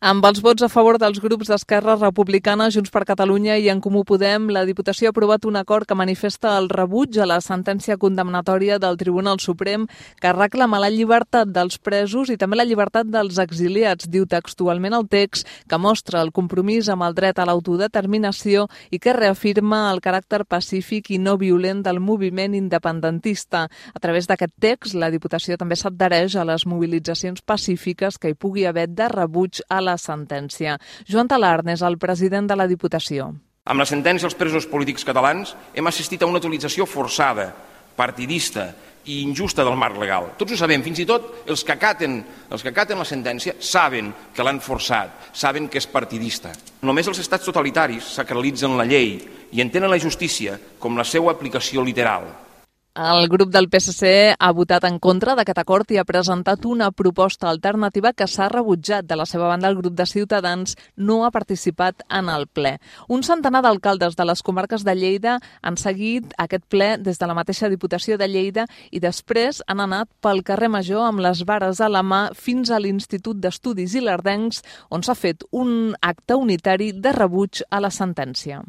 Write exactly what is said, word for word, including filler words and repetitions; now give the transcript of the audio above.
Amb els vots a favor dels grups d'Esquerra Republicana, Junts per Catalunya i En Comú Podem, la Diputació ha aprovat un acord que manifesta el rebuig a la sentència condemnatòria del Tribunal Suprem que reclama la llibertat dels presos i també la llibertat dels exiliats, diu textualment el text, que mostra el compromís amb el dret a l'autodeterminació i que reafirma el caràcter pacífic i no violent del moviment independentista. A través d'aquest text, la Diputació també s'adhereix a les mobilitzacions pacífiques que hi pugui haver de rebuig a la la sentència. Joan Talarn és el president de la Diputació. Amb la sentència als presos polítics catalans hem assistit a una utilització forçada, partidista i injusta del marc legal. Tots ho sabem, fins i tot els que acaten, els que acaten la sentència saben que l'han forçat, saben que és partidista. Només els estats totalitaris sacralitzen la llei i entenen la justícia com la seva aplicació literal. El grup del P S C ha votat en contra d'aquest acord i ha presentat una proposta alternativa que s'ha rebutjat. De la seva banda, el grup de Ciutadans no ha participat en el ple. Un centenar d'alcaldes de les comarques de Lleida han seguit aquest ple des de la mateixa Diputació de Lleida i després han anat pel carrer Major amb les vares a la mà fins a l'Institut d'Estudis Ilerdencs, on s'ha fet un acte unitari de rebuig a la sentència.